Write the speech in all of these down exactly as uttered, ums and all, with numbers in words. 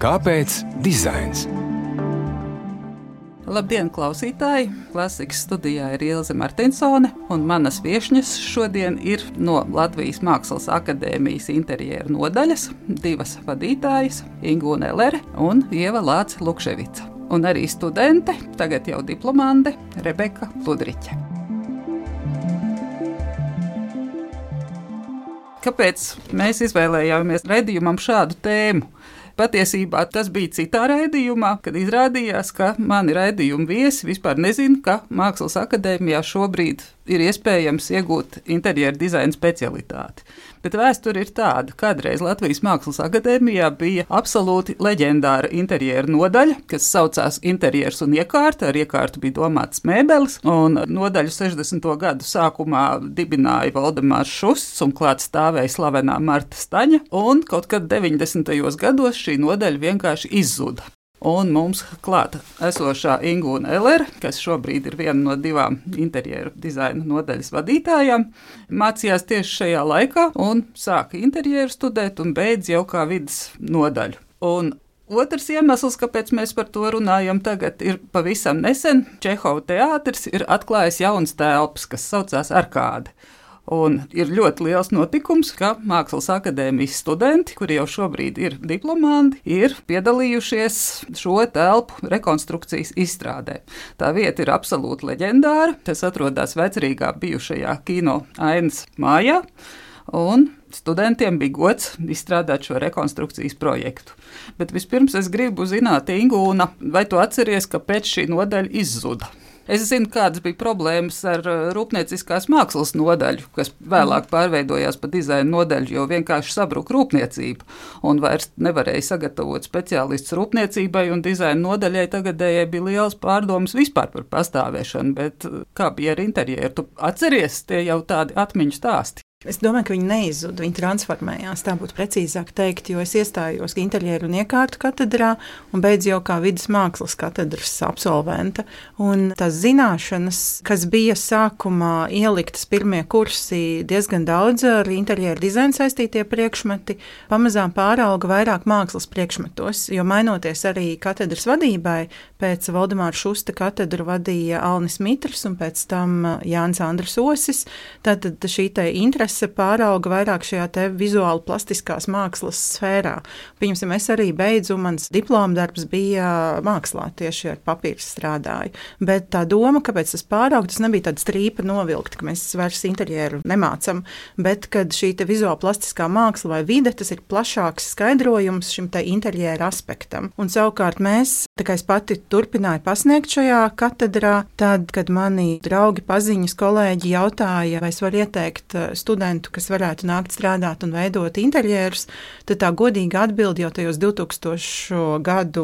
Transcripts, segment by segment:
Kāpēc dizains? Labdien, klausītāji! Klasikas studijā ir Ilze Martinsone, un manas viešņas šodien ir no Latvijas Mākslas akadēmijas interjera nodaļas, divas vadītājas, Ingūne Elere un Ieva Lāce-Lukševica, un arī studente, tagad jau diplomande, Rebeka Ludriķe. Kāpēc mēs izvēlējāmies raidījumam šādu tēmu? Patiesībā tas bija citā raidījumā, kad izrādījās, ka mani raidījumu viesi vispār nezina, ka Mākslas akadēmijā šobrīd ir iespējams iegūt interjera dizaina specialitāti. Bet vēsture ir tāda, kādreiz Latvijas Mākslas akadēmijā bija absolūti leģendāra interjera nodaļa, kas saucās interjers un iekārta. Ar iekārtu bija domātas mēbeles, un nodaļu sešdesmito gadu sākumā dibināja Valdemārs Šusts, un klāt stāvēja slavenā Marta Staņa, un kaut kad deviņdesmitajos gados šī nodaļa vienkārši izzuda. Un mums klāta esošā Ingūne Elere, kas šobrīd ir viena no divām interjeru dizaina nodaļas vadītājām, mācījās tieši šajā laikā un sāka interjeru studēt un beidz jau kā vidas nodaļu. Un otrs iemesls, kāpēc mēs par to runājam tagad, ir pavisam nesen Čehova teātris ir atklājis jaunas telpas, kas saucās Arkāde. Un ir ļoti liels notikums, ka Mākslas akadēmijas studenti, kuri jau šobrīd ir diplomandi, ir piedalījušies šo telpu rekonstrukcijas izstrādē. Tā vieta ir absolūti leģendāra, tas atrodas Vecrīgā bijušajā kino Ainas mājā, un studentiem bija gods izstrādāt šo rekonstrukcijas projektu. Bet vispirms es gribu zināt, Ingūna, vai tu atceries, kāpēc šī nodaļa izzuda? Es zinu, kādas bija problēmas ar rūpnieciskās mākslas nodaļu, kas vēlāk pārveidojās par dizaina nodaļu, jo vienkārši sabruka rūpniecība un vairs nevarēja sagatavot speciālistus rūpniecībai, un dizaina nodaļai tagadējai bija liels pārdomas vispār par pastāvēšanu, bet kā bija ar interjeru? Tu atceries, tie jau tādi atmiņu stāsti? Es domāju, ka viņi neizzuda, viņi transformējās, tā būtu precīzāk teikt, jo es iestājos interjeru un iekārtu katedrā un beidzu jau kā vidas mākslas katedras absolventa. Un tās zināšanas, kas bija sākumā ieliktas pirmie kursi, diezgan daudz ar interjeru dizainu saistītie priekšmeti, pamazām pārauga vairāk mākslas priekšmetos, jo mainoties arī katedras vadībai, pēc Valdemāra Šusta katedru vadīja Alnis Mitrs un pēc tam Jānis Andris Osis, tad šī te interese pārauga vairāk šajā te vizuāli plastiskās mākslas sfērā. Piemēram, es arī beidzu, mans diplomdarbs bija mākslā, tieši ar papīru strādāju. Bet tā doma, kāpēc tas pārauga, tas nebija tāda strīpa novilkta, ka mēs vairs interjeru nemācam, bet kad šī te vizuāli plastiskā māksla vai vide, tas ir plašāks skaidrojums šim te interjera aspektam. Un savukārt mēs, tā kā es pati turpināju pasniegt šajā katedrā, tad, kad mani draugi, paziņas, kolēģi jautāja, vai es varu ieteikt studentu, kas varētu nākt strādāt un veidot interjerus, tad tā godīga atbilde jau tajos divtūkstošo gadu,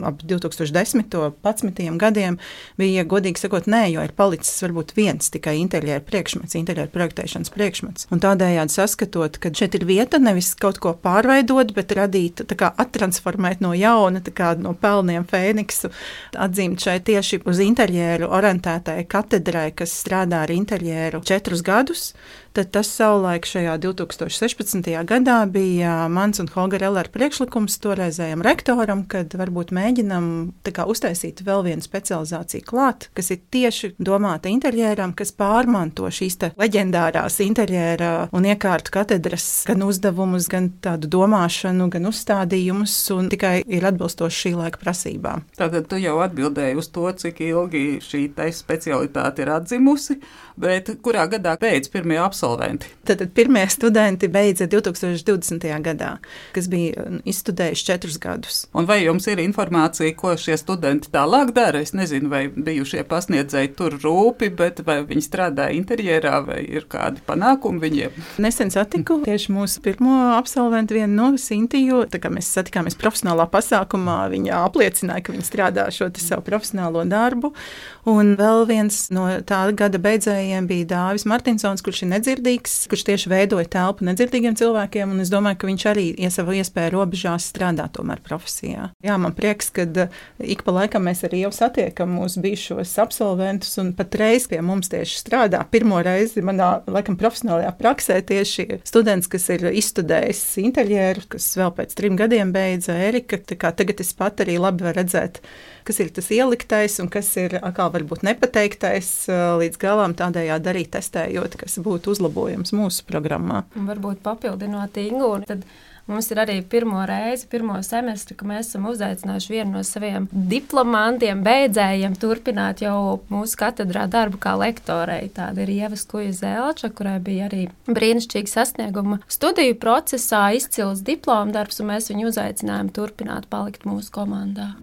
ap divi tūkstoši desmito, padsmitajiem gadiem bija, godīgi sakot, nē, jo ir palicis varbūt viens tikai interjeru priekšmets, interjeru projektēšanas priekšmets. Un tādējādi saskatot, ka šeit ir vieta nevis kaut ko pārveidot, bet radīt, tā kā attransformēt no jauna, tā kā no pelniem fēniksu, atzīmt šeit tieši uz interjeru orientētai katedrai, kas strādā ar interjeru četrus gadus, tad tas savulaik šajā divi tūkstoši sešpadsmitajā gadā bija mans un Holger Elere priekšlikums toreizējam rektoram, kad varbūt mēģinam tā kā uztaisīt vēl vienu specializāciju klāt, kas ir tieši domāta interjeram, kas pārmanto šīs te leģendārās interjera un iekārtu katedras gan uzdevumus, gan tādu domāšanu, gan uzstādījumus, un tikai ir atbilstoši šī laika prasībām. Tātad tu jau atbildēji uz to, cik ilgi šī te specialitāte ir atzimusi, bet kurā gadā beidz pirmie absolventi? Tad pirmie studenti beidza divi tūkstoši divdesmitajā gadā, kas bija izstudējuši četrus gadus. Un vai jums ir informācija, ko šie studenti tālāk dara? Es nezinu, vai bijušie pasniedzēji tur rūpi, bet vai viņi strādā interjerā, vai ir kādi panākumi viņiem? Nesen satiku tieši mūsu pirmo absolventu vienu no Sintiju, tā kā mēs satikāmies profesionālā pasākumā, viņa apliecināja, ka viņa strādā šo te savu profesionālo darbu. Un vēl viens no tā gada beidzējiem vadītājiem bija Dāvis Martinsons, kurš ir nedzirdīgs, kurš tieši veidoja telpu nedzirdīgiem cilvēkiem, un es domāju, ka viņš arī iesava iespēju robežās strādāt tomēr profesijā. Jā, man prieks, ka ik pa laikam mēs arī jau satiekam mūsu bijušos absolventus, un patreiz pie mums tieši strādā. Pirmo reizi manā, laikam, profesionālajā praksē tieši students, kas ir izstudējis interjeru, kas vēl pēc trim gadiem beidza Erika, tā kā tagad es pat arī labi varu redzēt, kas ir tas ieliktais un kas ir atkal varbūt nepateiktais līdz galam, tādējādi arī testējot, kas būtu uzlabojums mūsu programmā. Un varbūt papildinot Ingu, tad mums ir arī pirmo reizi, pirmo semestri, ka mēs esam uzaicinājuši vienu no saviem diplomantiem, beidzējiem turpināt jau mūsu katedrā darbu kā lektorei. Tāda ir Ieva Skuja-Zelča, kurai bija arī brīnišķīgi sasnieguma studiju procesā, izcils diploma darbs, un mēs viņu uzaicinājām turpināt palikt mūsu komandā.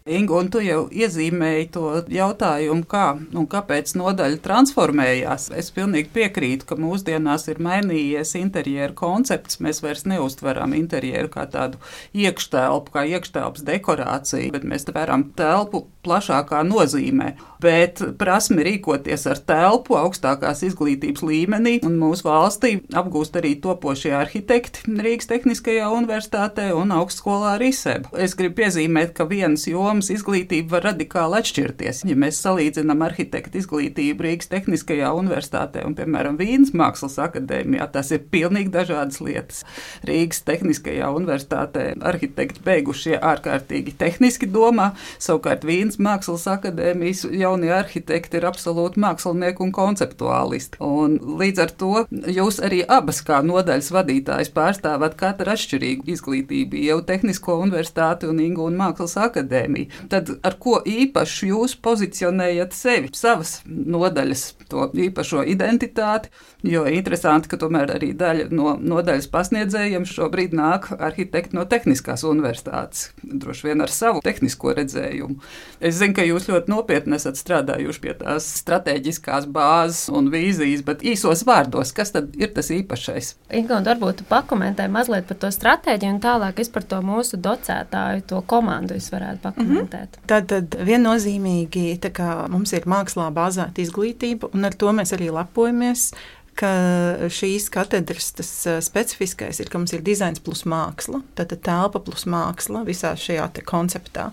Inga, un tu jau iezīmēji to jautājumu, kā un kāpēc nodaļa transformējās. Es pilnīgi piekrītu, ka mūsdienās ir mainījies interjeru koncepts. Mēs vairs neuztveram interjeru kā tādu iekštelpu, kā iekštelpas dekorāciju, bet mēs tveram telpu plašākā nozīmē. Bet prasme rīkoties ar telpu augstākās izglītības līmenī, un mūsu valstī apgūst arī topošie arhitekti Rīgas Tehniskajā universitātē un augstskolā RISEB. Es gribu piezīmēt, ka vienas jomas izglītība var radikāli atšķirties. Ja mēs salīdzinām arhitektu izglītību Rīgas Tehniskajā universitātē un, piemēram, Vīnes Mākslas akadēmijā, tas ir pilnīgi dažādas lietas. Rīgas Tehniskajā universitātē arhitekti beigušie ārkārtīgi tehniski domā, savukārt Vīnes Mākslas akadēmijas jaunie arhitekti ir absolūti mākslinieki un konceptuālisti. Un līdz ar to jūs arī abas kā nodaļas vadītājs pārstāvat katru atšķirīgu izglītību, jau Tehnisko universitāti un Ingu un Mākslas akadēmiju. Tad ar ko īpaši jūs pozicionējat sevi, savas nodaļas, to īpašo identitāti, jo interesanti, ka tomēr arī daļa no nodaļas pasniedzējiem šobrīd nāk arhitekti no Tehniskās universitātes, droši vien ar savu tehnisko redzējumu. Es zinu, ka jūs ļoti nopietni esat strādājuši pie tās strateģiskās bāzes un vīzijas, bet īsos vārdos, kas tad ir tas īpašais? Inga, un varbūt tu pakomentē mazliet par to stratēģiju, un tālāk es par to mūsu docētāju, to komandu es varētu pakomentēt. Mm-hmm. Tad, tad viennozīmīgi, tā kā mums ir mākslā bāzēta izglītība, un ar to mēs arī lepojamies, ka šīs katedras tas specifiskais ir, ka mums ir dizains plus māksla, tātad telpa plus māksla visā šajā te konceptā.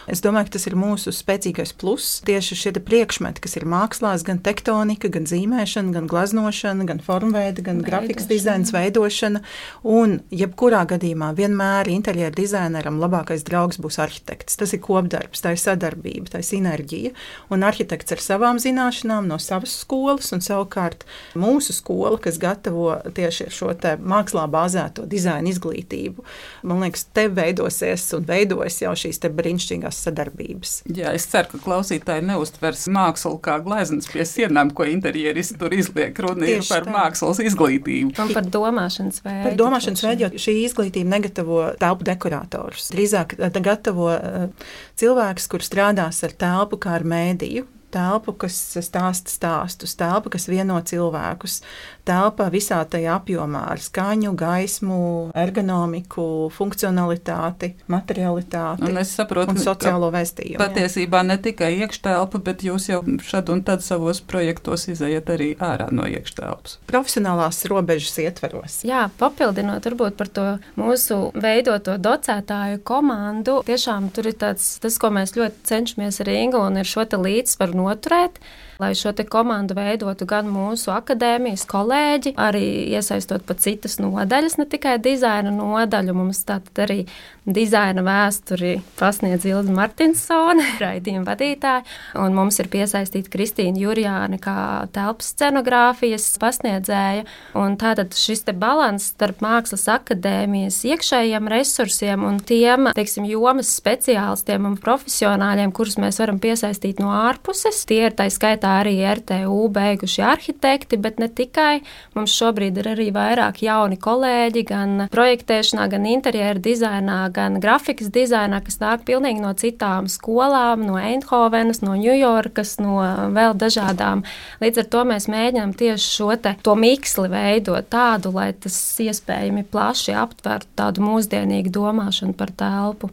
Es domāju, ka tas ir mūsu spēcīgais plus. Tieši šie priekšmeti, kas ir mākslās, gan tektonika, gan zīmēšana, gan glaznošana, gan formveida, gan grafikas dizains, veidošana, un jebkurā gadījumā vienmēr interjeru dizaineram labākais draugs būs arhitekts. Tas ir kopdarbs, tā ir sadarbība, tā ir sinerģija, un arhitekts ar savām zināšanām no savas skolas, un savukārt mūsu skola, kas gatavo tieši šo te mākslā bāzēto dizaina izglītību. Man liekas, te veidosies un veidojas jau šīs te brīnišķīgās sadarbības. Jā, es ceru, ka klausītāji neuztvers mākslu kā gleznas pie sienām, ko interjeristi tur izliek. Runa ir par tā. Mākslas izglītību. Un par domāšanas veidu. Par domāšanas veidu, jo šī izglītība negatavo telpu dekoratorus. Drīzāk gatavo cilvēkus, kur strādās ar telpu kā ar mēdīju. Telpu, kas stāsta stāstus, telpa, kas vieno cilvēkus, telpa visā tajā apjomā ar skaņu, gaismu, ergonomiku, funkcionalitāti, materialitāti un, saprotu, un sociālo vēstījumu. Patiesībā jā. Ne tikai iekštelpa, bet jūs jau šad un tad savos projektos izejat arī ārā no iekštelpas. Profesionālās robežas ietveros. Jā, papildinot varbūt par to mūsu veidoto docētāju komandu, tiešām tur ir tāds, tas, ko mēs ļoti cenšamies ar Ingu, un ir šo te līdzsvaru noturēt, lai šo te komandu veidotu gan mūsu akadēmijas kolēģi, arī iesaistot pat citas nodaļas, ne tikai dizaina nodaļu. Mums tātad arī dizaina vēsturi pasniedz Ilze Martinsone, raidījuma vadītāja, un mums ir piesaistīta Kristīna Jurjāne kā telpas scenogrāfijas pasniedzēja. Un tātad šis te balans starp Mākslas akadēmijas iekšējiem resursiem un tiem, teiksim, jomas speciālistiem un profesionāļiem, kurus mēs varam piesaistīt no ārpuses, puses. Tie ir tā skaitā arī R T U beiguši arhitekti, bet ne tikai. Mums šobrīd ir arī vairāk jauni kolēģi, gan projektēšanā, gan interjera dizainā, gan grafikas dizainā, kas nāk pilnīgi no citām skolām, no Eindhovenas, no Ņujorkas, no vēl dažādām. Līdz ar to mēs mēģinām tieši šo te to miksli veidot tādu, lai tas iespējami plaši aptvertu tādu mūsdienīgu domāšanu par telpu.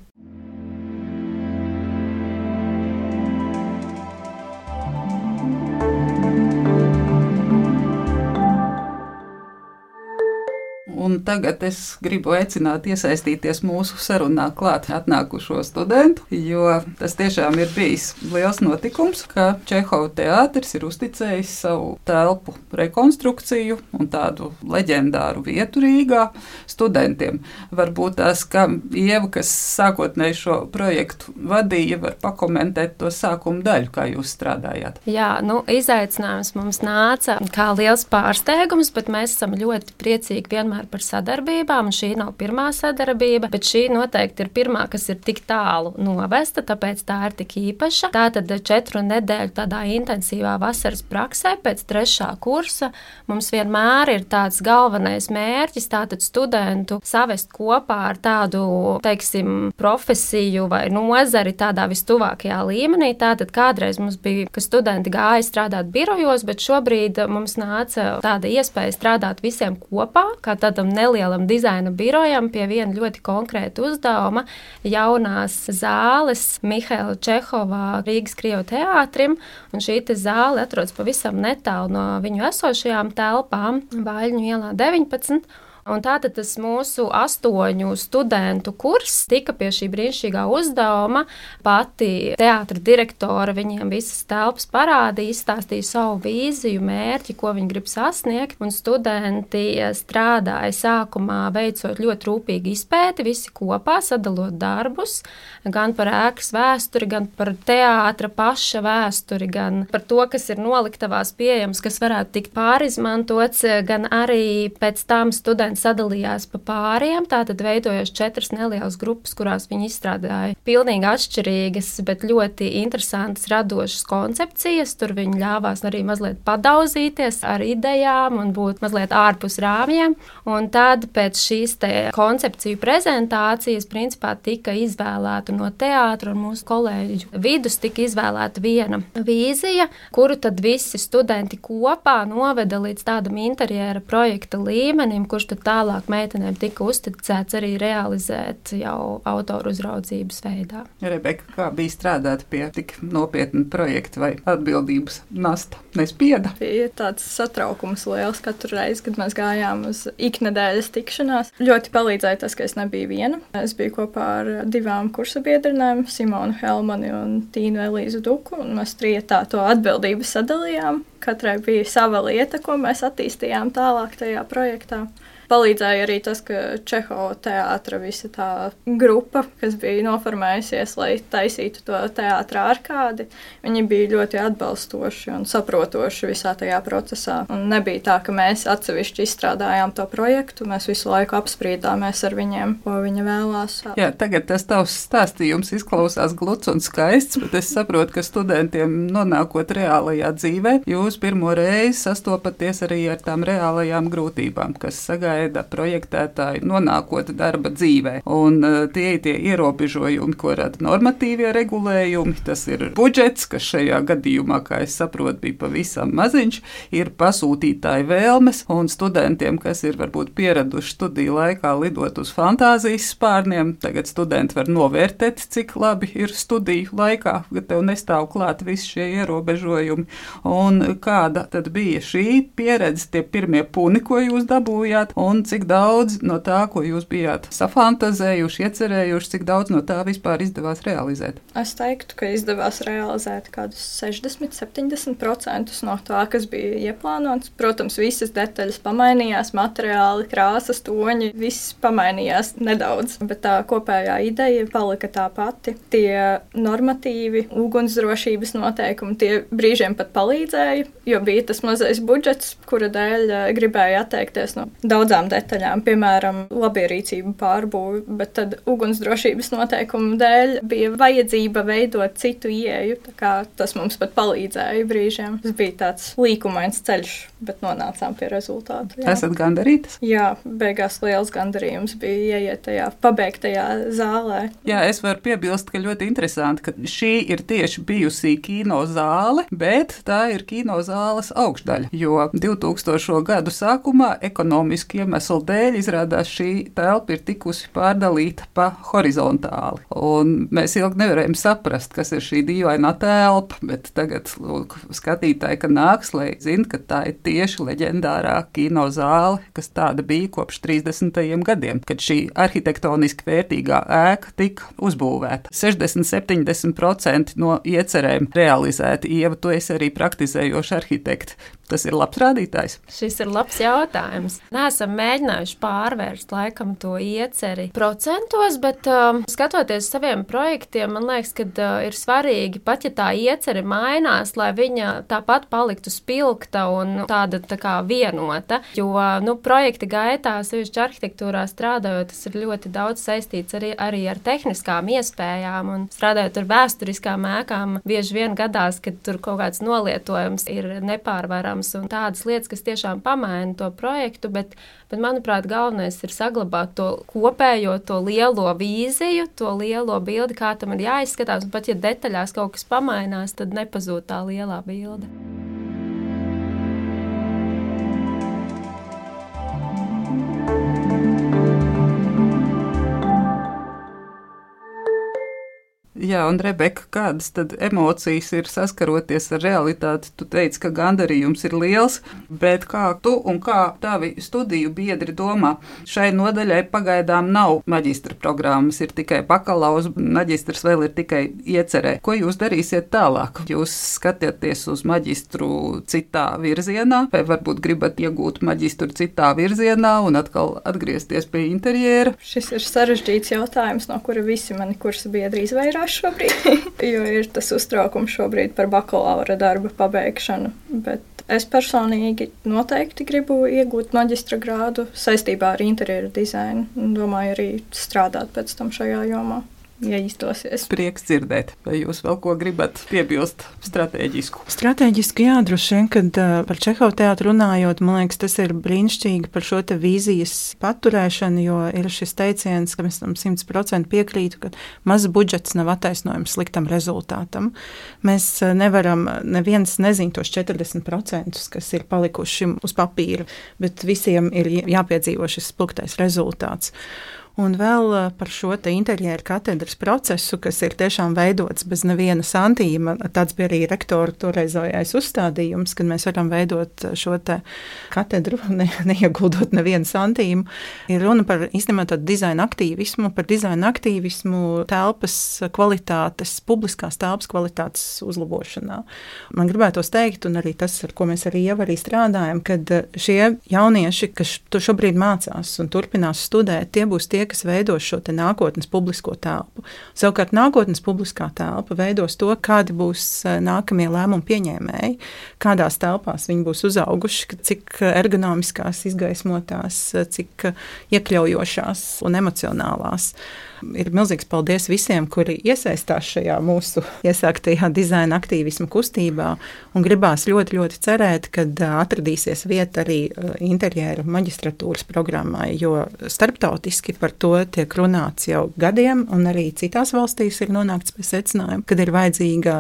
Un tagad es gribu aicināt iesaistīties mūsu sarunā klāt atnākušo studentu, jo tas tiešām ir bijis liels notikums, ka Čehova teātris ir uzticējis savu telpu rekonstrukciju un tādu leģendāru vietu Rīgā studentiem. Varbūt tās, ka Ieva, kas sākotnēji šo projektu vadīja, var pakomentēt to sākumu daļu, kā jūs strādājāt. Jā, nu, izaicinājums mums nāca kā liels pārsteigums, bet mēs esam ļoti priecīgi vienmēr par sadarbībām, un šī nav pirmā sadarbība, bet šī noteikti ir pirmā, kas ir tik tālu novesta, tāpēc tā ir tik īpaša. Tātad četru nedēļu tādā intensīvā vasaras praksē pēc trešā kursa mums vienmēr ir tāds galvenais mērķis, tātad studentu savest kopā ar tādu, teiksim, profesiju vai nozari tādā vistuvākajā līmenī. Tātad kādreiz mums bija, ka studenti gāja strādāt birojos, bet šobrīd mums nāca tāda iespēja strādāt visiem kopā, kā tādam nelielam dizaina birojam pie viena ļoti konkrēta uzdevuma jaunās zāles Mihaila Čehovā Rīgas Krievu teātrim, un šī te zāle atrodas pavisam netālu no viņu esošajām telpām Vaļņu ielā deviņpadsmit. Un tātad tas mūsu astoņu studentu kurs tika pie šī brīnišķīgā uzdevuma. Pati teātra direktore viņiem visas telpas parādīja, izstāstīja savu vīziju, mērķi, ko viņi grib sasniegt. Un studenti strādāja sākumā veicot ļoti rūpīgi izpēti, visi kopā sadalot darbus, gan par ēkas vēsturi, gan par teātra paša vēsturi, gan par to, kas ir noliktavās pieejams, kas varētu tikt pārizmantots, gan arī pēc tam studenti sadalījās pa pāriem, tātad veidojot četras nelielas grupas, kurās viņi izstrādāja pilnīgi atšķirīgas, bet ļoti interesantas radošas koncepcijas. Tur viņi ļāvās arī mazliet padauzīties ar idejām un būt mazliet ārpus rāmjiem. Un tad pēc šīs te koncepciju prezentācijas principā tika izvēlēta no teātra un mūsu kolēģu vidus tika izvēlēta viena vīzija, kuru tad visi studenti kopā noveda līdz tādam interjera projekta līmenim, kurš tad tālāk meitenēm tika uzticēts arī realizēt jau autoru uzraudzības veidā. Rebeka, kā bija strādāt pie tik nopietna projekta vai atbildības nasta nespieda? Bija tāds satraukums liels katru reizi, kad mēs gājām uz iknedēļas tikšanās. Ļoti palīdzēja tas, ka es nebiju viena. Es biju kopā ar divām kursa biedrinēm, Simonu Helmani un Tīnu Elīzu Duku, un mēs trietā to atbildību sadalījām. Katrai bija sava lieta, ko mēs attīstījām tālāk tajā projektā. Palīdzēja arī tas, ka Čehova teātra visa tā grupa, kas bija noformējusies, lai taisītu to teātra arkādi, viņi bija ļoti atbalstoši un saprotoši visā tajā procesā. Un nebija tā, ka mēs atsevišķi izstrādājām to projektu, mēs visu laiku apspriedāmies ar viņiem, ko viņi vēlās. Jā, tagad tas tavs stāstījums izklausās gluds un skaists, bet es saprotu, ka studentiem nonākot reālajā dzīvē, jūs pirmo reizi sastopaties arī ar tām reālajām grūtībām, kas sagaida projektētāji nonākot darba dzīvē. Un uh, tie ir tie ierobežojumi, ko rada normatīvie regulējumi. Tas ir budžets, kas šajā gadījumā, kā es saprotu, bija pavisam maziņš, ir pasūtītāji vēlmes, un studentiem, kas ir varbūt pieraduši studiju laikā lidot uz fantāzijas spārniem, tagad studenti var novērtēt, cik labi ir studiju laikā, ka tev nestāv klāt visi šie ierobežojumi. Un kāda tad bija šī pieredze, tie pirmie puni, ko jūs dabūjāt, un cik daudz no tā, ko jūs bijāt safantazējuši, iecerējuši, cik daudz no tā vispār izdevās realizēt? Es teiktu, ka izdevās realizēt kādus sešdesmit līdz septiņdesmit procentus no tā, kas bija ieplānots. Protams, visas detaļas pamainījās, materiāli, krāsas, toņi, viss pamainījās nedaudz, bet tā kopējā ideja palika tā pati. Tie normatīvi, ugunsdrošības noteikumi, tie brīžiem pat palīdzēja, jo bija tas mazais budžets, kura dēļ gribēja atteikties no daudzām mazām detaļām, piemēram, labierīcību pārbūvi, bet tad ugunsdrošības noteikumu dēļ bija vajadzība veidot citu ieeju, tā kā tas mums pat palīdzēja brīžiem. Tas bija tāds līkumains ceļš, bet nonācām pie rezultātu. Jā. Esat gandarītas? Jā, beigās liels gandarījums bija ieiet tajā pabeigtajā zālē. Jā, es varu piebilst, ka ļoti interesanti, ka šī ir tieši bijusī kino zāle, bet tā ir kino zāles augšdaļa, jo divtūkstošo gadu sākumā ekonomiski iemeslu dēļ izrādās šī telpa ir tikusi pārdalīta pa horizontāli. Un mēs ilgi nevarējām saprast, kas ir šī dīvainā telpa, bet tagad lūk, skatītāji, ka nāks, lai zina, ka tā ir tieši leģendārā kino zāle, kas tāda bija kopš trīsdesmitajiem gadiem, kad šī arhitektoniski vērtīgā ēka tika uzbūvēta. sešdesmit līdz septiņdesmit procenti no iecerēm realizēti. Ieva, tu esi arī praktizējoša arhitekta. Tas ir labs rādītājs. Šis ir labs jautājums. Neesam mēģinājuši pārvērst laikam to ieceri procentos, bet um, skatoties saviem projektiem, man liekas, ka uh, ir svarīgi, pat ja tā ieceri mainās, lai viņa tāpat paliktu spilgta un tāda tā kā vienota, jo nu, projekta gaitā, sevišķi arhitektūrā strādājot, tas ir ļoti daudz saistīts arī, arī ar tehniskām iespējām un strādājot ar vēsturiskām ēkām, bieži vien gadās, kad tur kaut kāds nolietojums ir nepārvarams un tādas lietas, kas tiešām pamaina to projektu, bet, bet manuprāt, galvenais ir saglabāt to kopējo, to lielo vīziju, to lielo bildi, kā tam ir jāizskatās, un pat ja detaļās kaut kas pamainās, tad nepazūd tā lielā bilde. Jā, un Rebeka, kādas tad emocijas ir saskaroties ar realitāti? Tu teici, ka gandarījums ir liels, bet kā tu un kā tavi studiju biedri domā? Šai nodaļai pagaidām nav maģistra programmas, ir tikai bakalauz, maģistrs vēl ir tikai iecerē. Ko jūs darīsiet tālāk? Jūs skatieties uz maģistru citā virzienā, vai varbūt gribat iegūt maģistru citā virzienā un atkal atgriezties pie interjera? Šis ir sarežģīts jautājums, no kura visi mani kursa biedri izvairās šobrīd, jo ir tas uztraukums šobrīd par bakalaura darba pabeigšanu, bet es personīgi noteikti gribu iegūt maģistra grādu saistībā ar interjeru dizainu un domāju arī strādāt pēc tam šajā jomā. Ja izdosies. Prieks dzirdēt. Vai jūs vēl ko gribat piebilst strateģisku? Strateģiski jā, droši vien, kad uh, par Čehovu teātru runājot, man liekas, tas ir brīnišķīgi par šo te vīzijas paturēšanu, jo ir šis teiciens, ka mēs tam simt procenti piekrītu, ka mazs budžets nav attaisnojums sliktam rezultātam. Mēs uh, nevaram, neviens nezin tos četrdesmit procentus, kas ir palikuši uz papīra, bet visiem ir jāpiedzīvo šis spilgtais rezultāts. Un vēl par šo te interjeru katedras procesu, kas ir tiešām veidots bez neviena santīma. Tāds bija arī rektora toreizējais uzstādījums, kad mēs varam veidot šo te katedru, ne, neieguldot nevienu santīmu. Ir runa par īstenībā tādu dizaina aktīvismu, par dizaina aktīvismu telpas kvalitātes, publiskās telpas kvalitātes uzlabošanā. Man gribētos teikt, un arī tas, ar ko mēs arī jau arī strādājam, kad šie jaunieši, kas to šobrīd mācās un turpinās studēt, tie būs tie, kas veidos šo te nākotnes publisko telpu. Savukārt nākotnes publiskā telpa veidos to, kādi būs nākamie lēmumu pieņēmēji, kādās telpās viņi būs uzauguši, cik ergonomiskās, izgaismotās, cik iekļaujošās un emocionālās. Ir milzīgs paldies visiem, kuri iesaistās šajā mūsu iesāktajā dizaina aktīvismu kustībā un gribās ļoti, ļoti cerēt, kad atradīsies vieta arī interjera maģistratūras programmai, jo starptautiski par to tiek runāts jau gadiem un arī citās valstīs ir nonākts pie secinājuma, kad ir vajadzīga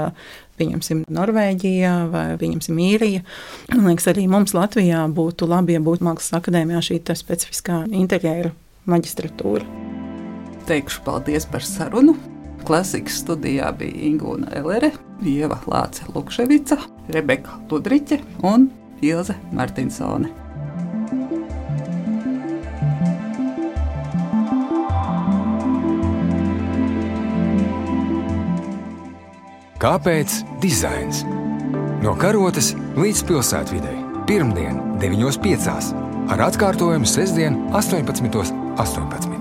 pieņemsim Norvēģijā vai pieņemsim Īrija. Man liekas, arī mums Latvijā būtu labi, ja būtu Mākslas akadēmijā šī tā specifiskā interjera maģistratūra. Teikšu paldies par sarunu. Klasikas studijā bija Ingūna Elere, Ieva Lāce Lukševica, Rebeka Ludriķe un Ilze Martinsone. Kāpēc dizains? No Karotes līdz pilsētvidei. Pirmdien deviņos piecās ar atkārtojumu sestdien astoņpadsmitos astoņpadsmit.